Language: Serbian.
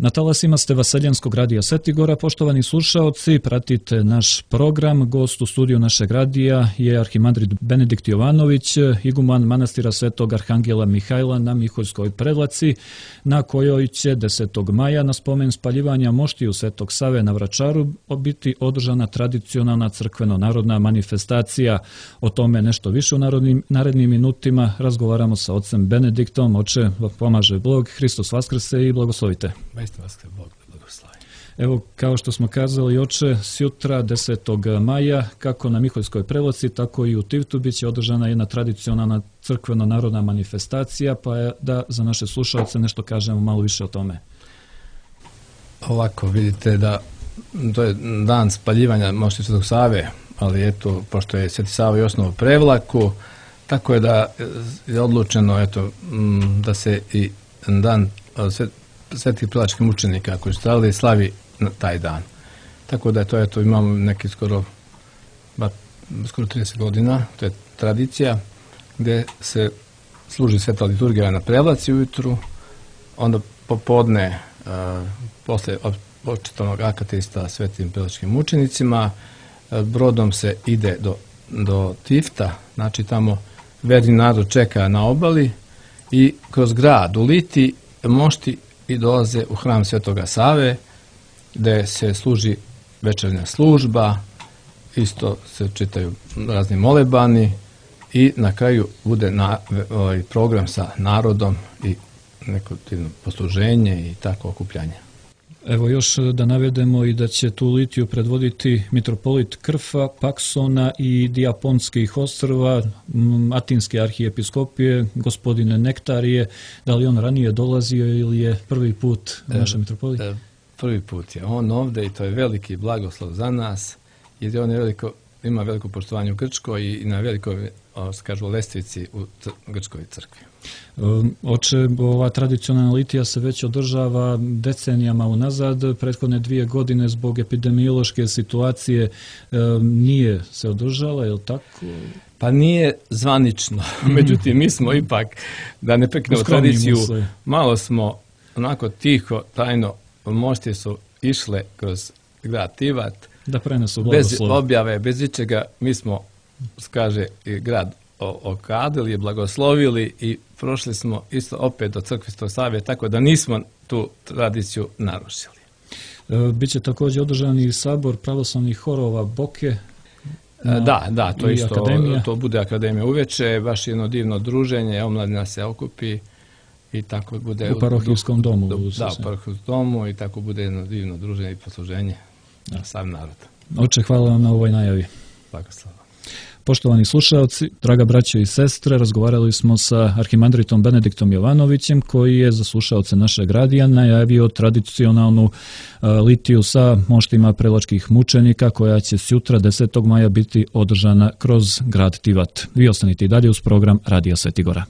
Na talasima ste Vaseljenskog radija Svetigora. Poštovani slušaoci, pratite naš program. Gost u studiju našeg radija je arhimandrit Benedikt Jovanović, iguman manastira Svetog Arhangela Mihajla na Miholjskoj Prevlaci, na kojoj će 10. maja na spomen spaljivanja moštiju Svetog Save na Vračaru biti održana tradicionalna crkveno-narodna manifestacija. O tome nešto više u narednim minutima razgovaramo sa ocem Benediktom. Oče, pomaže Bog, Hristos vaskrse i blagoslovite. Evo, kao što smo kazali, oče, sjutra 10. maja, kako na Miholjskoj Prevlaci, tako i u Tivtu, bit će održana jedna tradicionalna crkveno-narodna manifestacija, pa da za naše slušalce nešto kažemo malo više o tome. Ovako, vidite da to je dan spaljivanja moštiju Svetog Save, ali eto, pošto je Sveti Sava i osnovao Prevlaku, tako je da je odlučeno da se i dan svetih prevlačkih mučenika koji su stradali slavi na taj dan. Tako da je to, imamo neki skoro 30 godina, to je tradicija, gdje se služi sveta liturgija na Prevlaci ujutru, onda popodne, posle početnog akatista svetim prevlačkim mučenicima, brodom se ide do Tifta, znači tamo verni narod čeka na obali i kroz grad u Liti mošti i dolaze u hram Svetoga Save, gdje se služi večernja služba, isto se čitaju razni molebani i na kraju bude program sa narodom i neko posluženje i tako okupljanje. Evo još da navedemo i da će tu litiju predvoditi mitropolit Krfa, Paksona i Dijaponskih ostrva, Atinske arhijepiskopije, gospodine Nektarije. Da li on ranije dolazio ili je prvi put naša mitropolit? Prvi put je on ovdje i to je veliki blagoslov za nas, jer on ima veliko poštovanje u Grčkoj i na velikoj, kažu, lestvici u Grčkoj crkvi. Oče, ova tradicionalna litija se već održava decenijama unazad. Prethodne 2 godine zbog epidemiološke situacije nije se održala, je li tako? Pa nije zvanično, međutim mi smo ipak, da ne prekidamo tradiciju, malo smo onako tiho, tajno, moštije su išle kroz grad Tivat, da prenesu blagoslov. Bez objave, bez ičega, mi smo, kaže, grad okadili, blagoslovili i prošli smo isto opet do crkve Svetog Save, tako da nismo tu tradiciju narušili. Biće također održan i sabor pravoslavnih horova Boke. Da, to isto, akademija. To bude akademija uveče, baš jedno divno druženje, omladina se okupi i tako bude u parohijskom domu. Da, u parohijskom domu i tako bude jedno divno druženje i posluženje na sav narod. Oče, hvala vam na ovoj najavi. Blagoslov. Poštovani slušalci, draga braćo i sestre, razgovarali smo sa arhimandritom Benediktom Jovanovićem, koji je za slušaoce našeg radija najavio tradicionalnu litiju sa moštima prevlačkih mučenika, koja će sutra 10. maja biti održana kroz grad Tivat. Vi ostanite i dalje uz program Radija Svetigora.